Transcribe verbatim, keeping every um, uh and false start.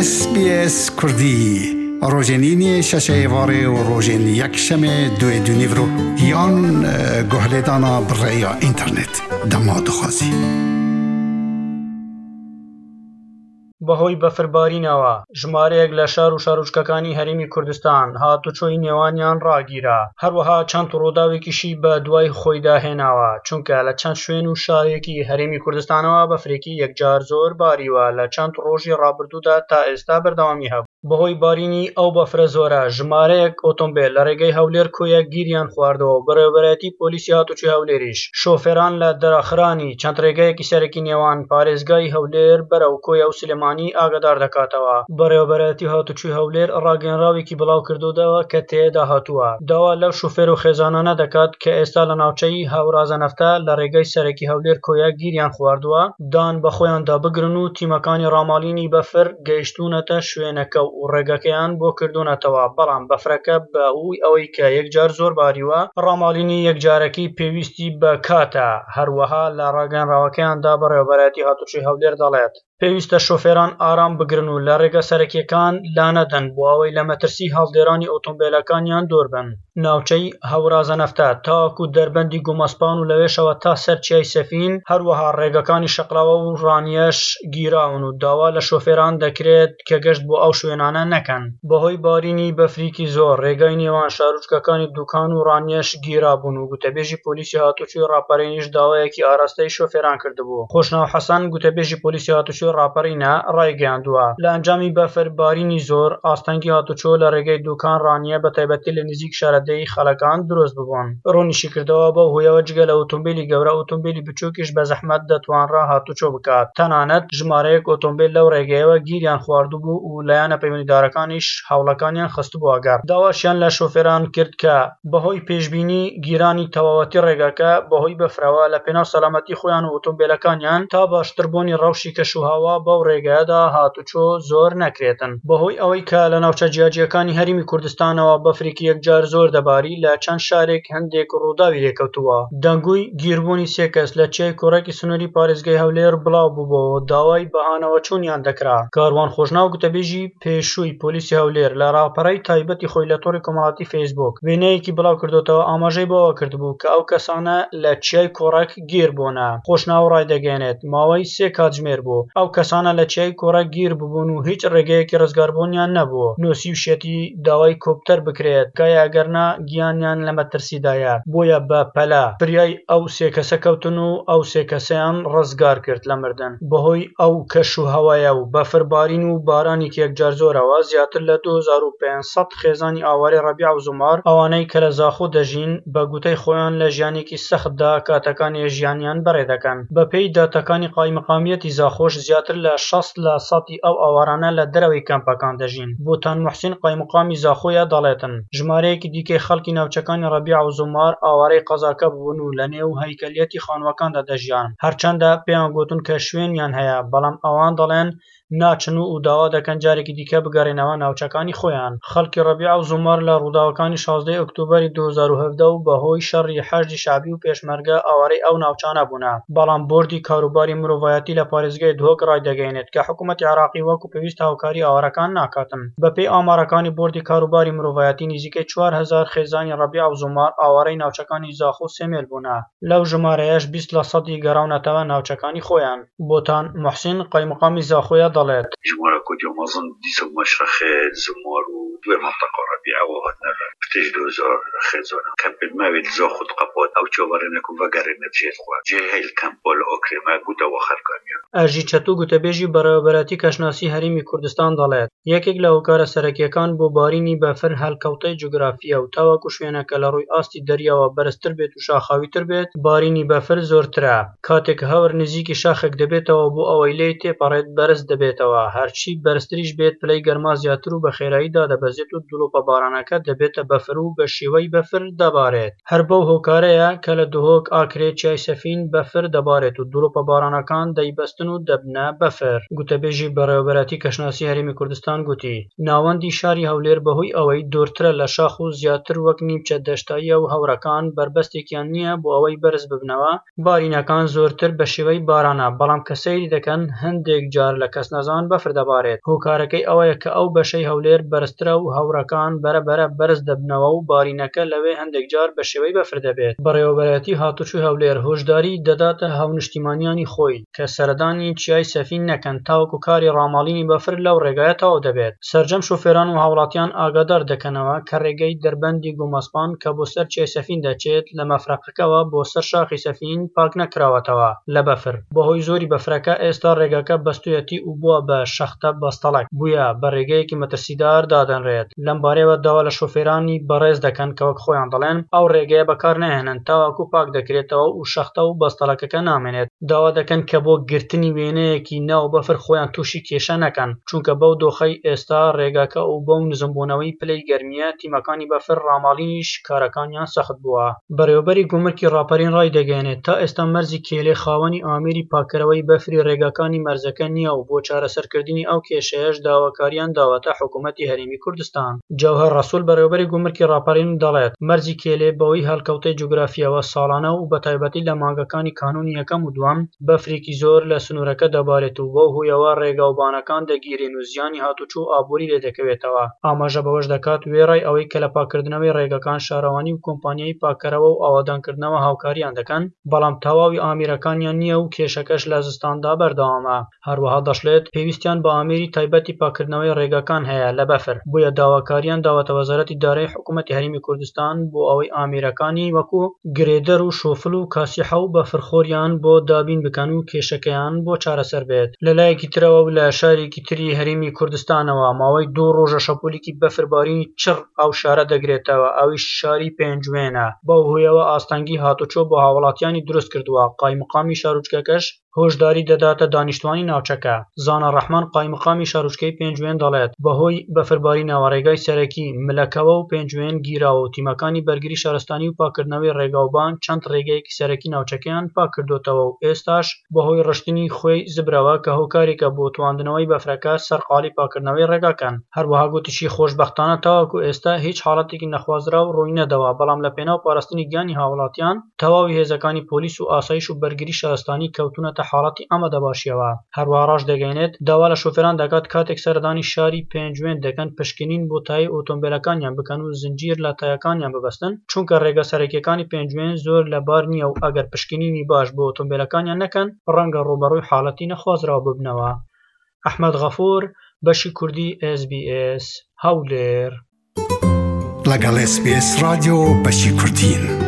S B S Kurdî rojên îniyê şeşê êvarê û rojên yekşemê duê du nîvro yan guhlêdana bi rêya înternet dema dixwazî. بەهۆی بەفربارینەوە ژمارەیەک لە شار و شارۆچکەکانی هەرێمی کوردستان هاتوچۆی نێوانیان ڕاگیرا، هەروەها چەند ڕووداوێکیشی بە دوای خۆیدا هێناوە، چونکە لە چەند شوێن و شارێکی هەرێمی کوردستانەوە بەفرێکی یەکجار زۆر باریوە لە چەند ڕۆژی ڕابردوودا تا ئێستا بەردەوامی هەبوو. بەهۆی بارینی ئەو بەفرە زۆرە ژمارەیەک ئۆتۆمبێل لە ڕێگەی هەولێر کۆیە گیریان خواردەوە و بەڕێوەبەرایەتی پۆلیسی هاتوچۆی هەولێریش شۆفێران لە داخرانی چەند ڕێگەیەکی سەرەکی نێوان پارێزگای هەولێر بەرەو کۆیە و سلێمانی ئاگادار دەکاتەوە. بەڕێوەبەرایەتی هاتوچۆی هەولێر ڕاگەیەنراوێکی بڵاو کردووەتەوە کە تێدا هاتووە داوا لەو شۆفێر و خێزانانە دەکات کە ئێستا لە ناوچەی هەورازە نەفتە لە ڕێگەی سەرەکی هەولێر کۆیە گیریان خواردووە دان بە خۆیاندا بگرن و تیمەکانی ڕاماڵینی بەفر گەیشتوونەتە شوێنەکە و ڕێگەکەیان بۆ کردوونەتەوە، بەڵام بەفرەکە بەهۆی ئەوەی کە یەکجار زۆر باریوە ڕاماڵینی یەکجارەکی پێویستی بە کاتە. هەروەها لە ڕاگەیەنراوەکەیاندا بەڕێوەبەرایەتی هاتوچۆی هەولێر دەڵێت پێویستە شۆفێران ئارام بگرن و لە ڕێگە سەرەکیەکان لانەدەن بۆ ئەوەی لە مەترسی هەڵدێرانی ئۆتۆمبیلەکانیان دوور بن. ناوچەی هەورازە نەفتە تاوەکو دەربەندی گومەسپان و لەوێشەوە تا سەر چیای سەفین، هەروەها ڕێگەکانی شەقڵاوە و ڕانیەش گیراون و داوا لە شۆفێران دەکرێت کە گەشت بۆ ئەو شوێنانە نەکەن. بەهۆی بارینی بەفریکی زۆر ڕێگای نێوان شارۆچکەکانی دوکان و ڕانیەش گیرابوون و گوتەبێژی پۆلیسی هاتوچۆی ڕاپەڕینیش داوایەکی ئاراستەی شۆفێران کردبوو. خۆشناو حەسەن گوتەبێژی پۆلیسی هاتوچۆی ڕاپەڕینە ڕایگەیاندووە لە ئەنجامی بەفر بارینی زۆر ئاستەنگی هاتوچۆ لە ڕێگەی دوکان ڕانیە بە تایبەتی لە نزیک شارەدێی خەڵەکان دروست ببوون. ڕوونیشی کردەوە بەو هۆیەوە جگە لە ئۆتۆمبیلی گەورە ئۆتۆمبیلی بچووکیش بە زەحمەت دەتوانرا هاتوچۆ بکات، تەنانەت ژمارەیەک ئۆتۆمبیل لەو ڕێگەیەوە گیریان خواردبوو و لایەنە پەیوەندیدارەکانیش هەوڵەکانیان خستبووە گەڕ. داواشیان لە شۆفێران کرد کە بەهۆی پێشبینی گیرانی تەواوەتی ڕێگەکە بەهۆی بەفرەوە لە پێناو سەلامەتی خۆیان و ئۆتۆمبیلەکانیان تا باشتربوونی ڕەوشی کەشوهەوا بەو ڕێگەیەدا هاتوچۆ زۆر نەکرێتن. بەهۆی ئەوەی کە لە ناوچە جیاجیەکانی هەرێمی کوردستانەوە بەفرێکی یەکجار زۆر دەباری لە چەند شارێک هەندێک ڕووداوی لێکەوتووە. دەنگوی گیربوونی سێ کەس لە چیای کۆڕەکی سنووری پارێزگای هەولێر بڵاو بووبەوە داوای بەهانەوەچوونیان دەکرا. کاروان خۆشناو گوتەبێژی پێشووی پۆلیسی هەولێر لە ڕاپەڕەی تایبەتی خۆی لە تۆڕی کۆمەڵاتی فەیسبوک وێنەیەکی بڵاو کردوتەوە ئاماژەی بەوە کردبوو کە ئەو کەسانە لە چیای کۆڕەک گیر بوونە. خۆشناو ڕایدەگەیەنێت ماوەی سێ کاتژمێر بوو ئەو کەسانە لە چیای کۆڕەک گیر ببوون و هیچ ڕێگەیەکی ڕزگاربوونیان نەبوو. نووسیوشیەتی داوای کۆپتەر بکرێت کایە ئەگەرنا گیانیان لە مەترسیدایە، بۆیە بە پەلە فریای ئەو سێ کەسە کەوتن و ئەو سێ کەسەیان ڕزگار کرد لە مردن. بەهۆی ئەو کەش و هەوایە و بەفربارین و بارانێکی یەکجار زۆرەوە زیاتر لە دوو هەزار و پێنج سەد خێزانی ئاوارەی ڕەبیع و زومار ئەوانەی کە لە زاخۆ دەژین بە گوتەی خۆیان لە ژیانێکی سەختدا کاتەکانی ژیانیان بەڕێ دەکەن. بەپێی داتاکانی قایمقامیەتی زاخۆش زیاتر لە شەست لە سەدی ئەو ئاوارانە لە دەرەوەی کەمپەکان دەژین. بۆتان موحسین قایمقامی زاخۆیە دەڵێتن ژمارەیەکی دیکەی خەڵکی ناوچەکانی ڕەبیع و زومار ئاوارەی قەزاکە بوون و لە نێو هەیکەلیەتی خانووەکاندا دەژیان، هەرچەندە پێیان گوتون کە شوێنیان هەیە بەڵام ئەوان دەڵێن ناچن و داوا دەکەن جارێکی دیکە بگەڕێنەوە ناوچەکانی خۆیان. خەڵکی ڕەبیع و زومار لە ڕووداوەکانی شازدەی ئۆکتۆبەری دوو هەزار و هەڤدە و بەهۆی شەڕی حەشدی شەعبی و پێشمەرگە ئاوارەی ئەو ناوچانە بوونە، بەڵام بۆردی کاروباری مرۆڤایەتی لە پارێزگای دهۆک ڕایدەگەیەنێت کە حکوومەتی عێراقی وەکو پێویست هاوکاری ئاوارەکان ناکاتن. بەپێی ئامارەکانی بۆردی کاروباری مرۆڤایەتی نزیکەی چوار هەزار خێزانی ڕەبیع و زومار ئاوارەی ناوچەکانی زاخۆ و سێمێل بوونە، لەو ژمارەیەش بیست لە سەدی گەڕاونەتەوە ناوچەکانی خۆیان. بۆتان موحسین قایمقامی زاخۆیە دەڵێت ژمارە کۆتیا مەزن دیسە مەشرەخێ زومار و دوێ مەنتەقە ڕەبیعەوە هاتنە پتێش دوو هەزار خێزانە کەمپێت ماوێت زاخۆ قەپات ئەو چاوەڕێنە و ڤەگەڕێنە جێت خوا جێ هەیل کەمپا لە ئۆکرێمە گوتەوە خەرکانیان. ئەرژی چەتۆ گوتەبێژی بەڕێوەبەرایەتی کەشناسی هەرێمی کوردستان دەڵێت یەکێک لە هۆکارە سەرەکیەکان بۆ بارینی بەفر هەڵکەوتەی جوگرافیە و تاوەکو شوێنەکە لە ڕووی ئاستی دەریاوە بەرزتر بێت و شاخاویتر بێت بارینی بەفر زۆرترە. کاتێک هەور نزیکی شاخێک دەبێتەوە بۆ ئەوەی لێی تێپەڕێت بەرز دەبێتەوە، هەرچی بەرزتریش بێت پلەی گەرما زیاتر و بە خێرایی دادەبەزێت. دەبەزێت و دڵۆپە بارانەکە دەبێتە بەفر و بە شێوەی بەفر دەبارێت. هەر بەو هۆکارەیە کە لە دهۆک، ئاکرێ، چیای سەفین بەفر دەبارێت و دڵۆپە بارانەکان دەیبەستن و دەبنە بەفر. گوتەبێژی بەڕێوەبەرایەتی کەشناسی هەرێمی کوردستان گوتی، ناوەندی شاری هەولێر بەهۆی ئەوەی دوورترە لە شاخ و زیاتر وەک نیمچە دەشتاییە و هەورەکان بەربەستێکیان نییە بۆ ئەوەی بەرز ببنەوە، بارینەکان زۆرتر بە شێوەی بارانە، بەڵام کە سەیری دەکەن هەندێک جار لە کەسنەزان بەفر دەبارێت. هۆکارەکەی ئەوەیە کە ئەو بەشەی هەولێر بەرزترە و هەورەکان بەرەبەرە بەرز دەبنەوە و بارینەکە لەوێ هەندێک جار بە شێوەی بەفر دەبێت. بەڕێوەبەرایەتی هاتوچۆی هەولێر هۆشداری دەداتە هاونیشتیمانیانی خۆی کە سەردانی چیای سەفین نەکەن تاوەکو کاری ڕاماڵینی بەفر لەو ڕێگایە تەواو دەبێت. سەرجەم شۆفێران و هاوڵاتیان ئاگادار دەکەنەوە کە ڕێگەی دەربەندی گۆمەسپان کە بۆ سەر چیای سەفین دەچێت لە مەفرەقەکەوە بۆ سەر شاخی سەفین پاک نەکراوەتەوە لە بەفر. بەهۆی زۆری بەفرەکە ئێستا ڕێگاکە بەستویەتی و بووە بە شەختە بەستەڵەک، بووە بە ڕێگەیەکی مەترسیدار دادەنرێت. لەم بارەیەوە داوا لە شۆفێرانی بەڕێز دەکەن کە وەک خۆیان دەڵێن ئەو ڕێگەیە بەکار نەهێنن تاوەکو پاک دەکرێتەوە و شەختە و بەستەڵەکەکە نامێنێت. داوا دەکەن کە بۆ گرتنی وێنەیەکی ناو بەفر خۆیان تووشی کێشە نەکەن، چونکە بەو دۆخەی ئێستا ڕێگاکە و بەو نزمبوونەوەی پلەی گەرمیە تیمەکانی بەفر ڕاماڵینیش کارەکانیان سەخت بووە. بەڕێوەبەری گومرکی ڕاپەرین ڕایدەگەیەنێت تا ئێستا مەرزی کێلێ خاوەنی ئامێری پاککەرەوەی بەفری ڕێگاکانی مەرزەکە نییە و بۆ چارەسەرکردنی ئەو کێشەیەش داواکاریان داوەتە حکوومەتی هەرێمی کوردستان. جەوهەر ڕەسوڵ بەڕێوەبەری گومرکی ڕاپەرین دەڵێت مەرزی کێلێ بەهۆی هەڵکەوتەی جوگرافیەوە ساڵانە و بەتایبەتی لە مانگەکانی کانوونی یەکەم و دووەم بەفرێکی زۆر لە سنوورەکە دەبارێت و بەو هۆیەوە ڕێگاوبانەکان دەگیرێن و زیانی هاتوچۆ و ئابووری لێدەکەوێتەوە. ئاماژە بەوەش دەکات وێڕای ئەوەی کە لە پاککردنەوەی ڕێگاکان شارەوانی و کۆمپانیای پاککەرەوە و ئاوادانکردنەوە هاوکاریان دەکەن، بەڵام تەواوی ئامێرەکانیان نییە و کێشەکەش لە زستاندا بەردەوامە. هەروەها دەشڵێت پێویستیان بە ئامێری تایبەتی پاککردنەوەی ڕێگاکان هەیە لە بەفر، بۆیە داواکاریان داوەتە وەزارەتی دارایی حکوومەتی هەرێمی کوردستان بۆ ئەوەی ئامێرەکانی وەکو گرێدەر و شۆفل و کاسیحە و بەفرخۆریان بۆ دابین بکەن و کێشەکەیان بۆ چارەسەر بێت. لەلایەکی ترەوە و لە شارێکی تری هەرێمی کوردستانەوە ماوەی دوو ڕۆژە شەپۆلێکی بەفربارینی چڕ ئەو شارە دەگرێتەوە، ئەویش شاری پێنجوێنە. بەو هۆیەوە ئاستەنگی هاتوچۆ بۆ هاوڵاتیانی دروست کردووە. قایمقامی شارۆچکەکەش هۆشداری دەداتە دانیشتوانی ناوچەکە. زانا ڕەحمان قایمقامی شارۆچکەی پێنجوێن دەڵێت بەهۆی بەفربارینەوە ڕێگای سەرەکی ملەکەوە و پێنجوێن گیراوە و تیمەکانی بەرگری شارستانی و پاککردنەوەی ڕێگاوبان چەند ڕێگەیەکی سەرەکی ناوچەکەیان پاک کردوتەوە و ئێستاش بەهۆی ڕشتنی خوێی زبرەوە کە هۆکارێکە بۆ تواندنەوەی بەفرەکە سەرقاڵی پاککردنەوەی ڕێگاکەن. هەروەها گوتیشی خۆشبەختانە تاوەکو ئێستا هیچ حاڵەتێکی نەخوازراو ڕووی نەداوە، بەڵام لە پێناو پاراستنی گیانی هاوڵاتیان تەواوی هێزەکانی پۆلیس و ئاسایش و بەرگری شارستانی کەوتونەتە حاڵەتی ئامادەباشیەوە. هەروەها ڕاشدەگەیەنێت داوا لە شۆفێران دەکات کاتێک سەردانی شاری پێنجوێن دەکەن پشکنین بۆ تایەی ئۆتۆمبیلەکانیان بکەن و زنجیر لە تایەکانیان ببەستن، چونکە ڕێگا سەرەکیەکانی پێنجوێن زۆر لەبار نییە و ئەگەر پشکنینی باش بۆ ئۆتۆمبیلەکانیان نەکەن ڕەنگە ڕووبەڕووی حاڵەتی نەخوازراو ببنەوە. ئەحمەد غەفوور، بەشی کوردی ئێس بی ئێس، هەولێر. لەگەڵ ئێس بی ئێس رادیۆ بەشی کوردین.